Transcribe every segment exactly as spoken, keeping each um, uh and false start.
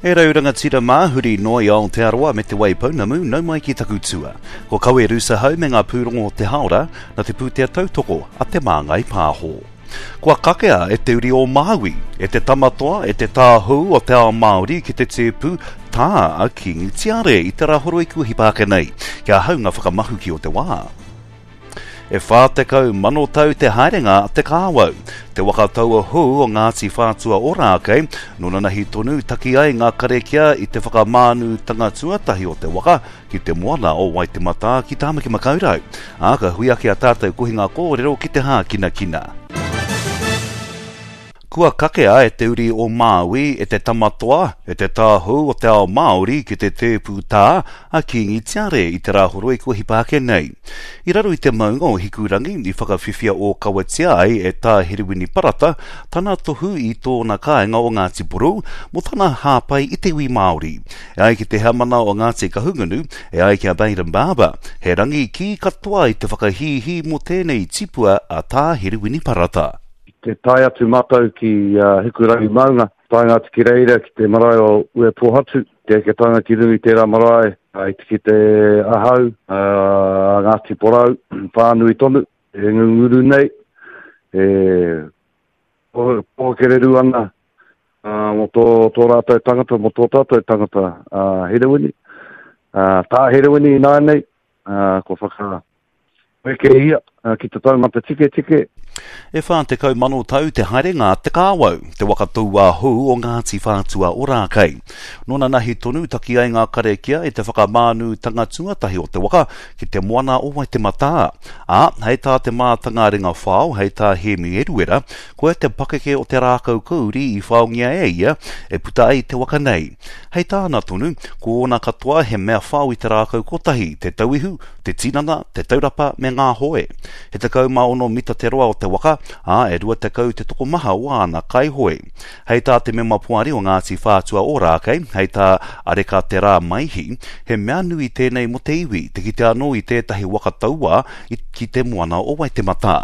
E rau rangatira mā, huri noa i Aotearoa me Te Waipounamu, nau mai ki taku tua. Ko Kawe Rusahau me ngā pūrongo o te haora, na te pūtea tautoko a Te Māngai Pāho. Kua kakea e te uri o Māui, e te tamatoa, e te tāhou o te ao Māori ki te tēpu tā a Kīngi Tiare i te rāhoroi kua hipa ake nei, kia hau ngā whakamahuki o te wā. E whā tekau mano tau te haerenga a Te Kāwau, te waka taua hou o Ngāti Whātua Ōrākei, nō nanahi tonu taki ai ngā karekia i te whakamānutanga tuatahi o te waka ki te moana o Waitematā ki Tāmaki Makaurau. Ā, ka hui ake a tātou kohinga kōrero ki te hākinakina. Kua kakea e te uri o Māui, e te tamatoa, e te tāhou o te ao Māori ki te tēpu tā a Kīngi Tiare i te rāhoroi kua hipa ake nei. I raro i te maunga o Hikurangi i whakawhiwhia ōkawatia ai e Tā Herewini Parata tana tohu i tōna kāinga o Ngāti Porou mō tana hāpai i te iwi Māori. E ai ki te heamana o Ngāti Kahungunu, e ai ki a Bayden Barber, he rangi kī katoa i te whakahīhī mō tēnei tipua a Tā Herewini Parata. Te tae atu mātou ki uh, Hikurangi Maunga, taenga atu ki reira ki te marae o Uepohatu, te eke taenga ki runga i tērā marae, uh, i te ki te ahau, uh, Ngāti Porou, whānui tonu, e ngunguru nei, e pōkereru ana uh, mō tō, tō rātou tangata, mō tō tātou tangata uh, Herewini. Uh, tā Herewini ināianei, uh, ko whaka weke ia uh, ki te taumata tiketike. E whā tekau mano tau te haerenga a Te Kāwau, te waka tauā hou o Ngāti Whātua Ōrākei. Nō nanahi tonu taki ai ngā karekia i te whakamānutanga tuatahi o te waka ki te moana o Waitematā. Ā, hei tā te mātanga ringa whao, hei tā Hēmi Eruera, koia te pakeke o te rākau kauri i whaongia e ia e puta ai te waka nei. Hei tāna tonu, ko ōna katoa he mea whao i te rākau kotahi, te tauihu, te tinana, te taurapa me ngā hoe. He tekau mā ono mita te roa o te waka, ā, e rua tekau te tokomaha o āna kaihoe. Hei tā te mema poari o Ngāti Whātua Ōrākei, hei tā Areka Te Rā Maihi, he mea nui tēnei mō te iwi, te kite anō i tētahi waka tauā i ki te moana o Waitematā.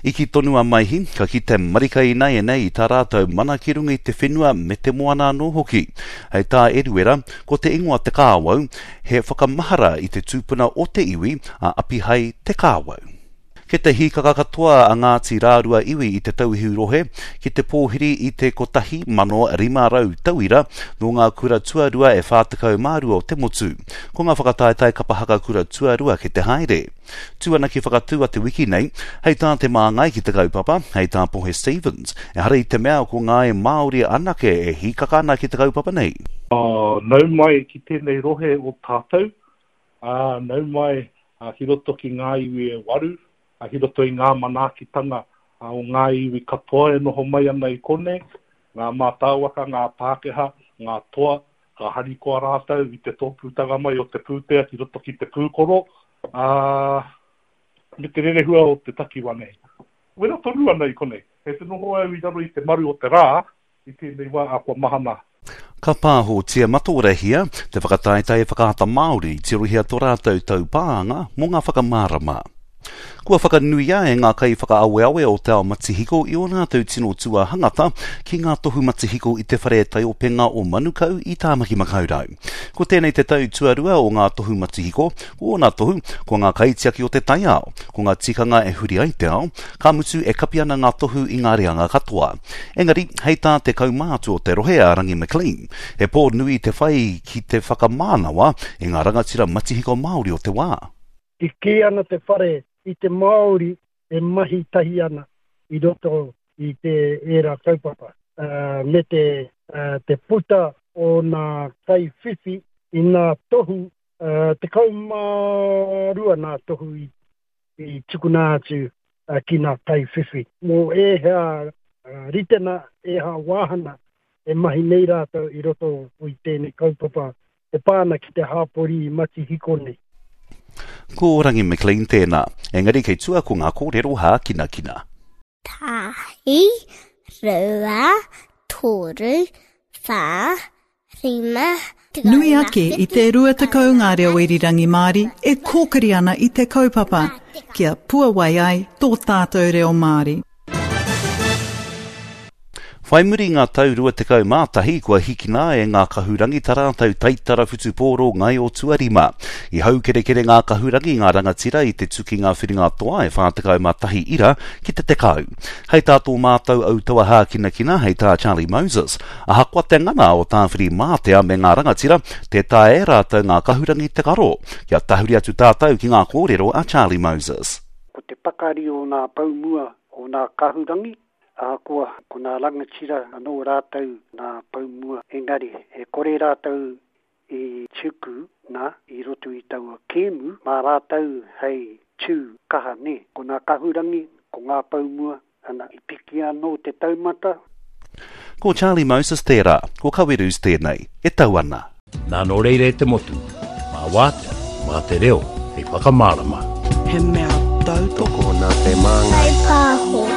I kī tonu a Maihi, ka kite marika ināianei i tā rātou mana ki runga i te whenua me te moana anō hoki. Hei tā Eruera, ko te ingoa Te Kāwau, he whakamahara i te tūpuna o te iwi a Apihai Te Kāwau. Kei te hīkaka katoa a Ngāti Rārua iwi i te Tauihu rohe ki te pōhiri i te kotahi mano rima rau tauira nō ngā kura tuarua e whā tekau mā rua o te motu. Ko ngā whakataetae kapa haka kura tuarua ki te haere. Tū ana ki Whakatū a te wiki nei, hei tā te māngai ki te kaupapa, hei tā Pohe Stevens, ehara i te mea ko ngāi Māori anake e hīkaka ana ki te kaupapa nei. Nau mai ki tēnei rohe o tātou, ā, nau mai ki roto ki ngā iwi e waru, ki roto i ngā manaakitanga o ngā iwi katoa e noho mai ana i konei, ngā mātāwaka, ngā Pākehā, ngā toa, ka harikoa rātou i te tōpūtanga mai o te pūtea ki roto ki te pūkoro, ā, me te rerehua o te takiwa nei. Wera tonu ana i konei. Kei te noho au i raro i te maru o te rā i tēnei wā, ā, kua mahana. Ka pāhotia matorehia te whakataetae Whakaata Māori, tirohia tō rātou taupānga mō ngā whakamārama. Kua whakanuia e ngā kaiwhakaaweawe o te ao matihiko i ō rātou tino tuahangata ki ngā tohu matihiko i te whare taiopenga o Manukau i Tāmaki Makaurau. Ko tēnei te tau tuarua o ngā tohu matihiko, ko ōna tohu, ko ngā kaitiaki o te taiao, ko ngā tikanga e huri ai te ao, ka mutu e kapi ana ngā tohu i ngā reanga katoa. Engari, hei tā te kaumātua o te rohe a Rangi McLean, he pō nui te whai ki te whakamānawa i ngā rangatira matihiko Māori o te wā. I kī ana te whare i te Māori e mahi tahi ana i roto i te ērā kaupapa, uh, me te, uh, te puta o nā kaiwhiwhi i nā tohu, uh, tekau mā rua nā tohu i, i tukuna atu uh, ki nā kaiwhiwhi. Mō ēhea uh, ritena, ēhea wāhana e mahi nei rātou i roto i tēnei kaupapa e pā ana ki te hāpori matihiko nei. Ko Rangi McLean tēnā, engari kei tua ko ngā kōrero hākinakina. Tahi, rua, toru, whā, rima, Nui ake i te rua tekau ngā reo irirangi Māori e kōkiri ana i te kaupapa, kia puawai ai tō tātou reo Māori. Whai muri i ngā tau rua tekau mā tahi kua hikina e ngā kahurangi tā rātou taitara whutupōro ngaio tuarima. I haukerekere ngā kahurangi ngā rangatira i te tukinga whiringa toa e whā tekau mā tahi ira ki te tekau. Hei tā tō mātou autaua hākinakina hei tā Charlie Moses, ahakoa te ngana o Tāwhirimātea me ngā rangatira, tē taea e rātou ngā kahurangi te karo. Kia tahuri atu tātou ki ngā kōrero a Charlie Moses. Ko te pakari o ngā pou mua o ngā kahurangi, ahakoa ko ngā rangatira anō rātou ngā pou mua, engari e kore rātou i tuku nā i roto i taua kēmu, mā rātou hei tū kaha nē. Ko ngā kahurangi, ko ngā pou mua, ana, i piki anō te taumata. Ko Charlie Moses tērā, ko Kawerus tēnei, e tau ana. Nā nō reira e te motu, mā wātea, mā te reo hei whakamārama. He mea tautoko nā te māngai. Whai pāho.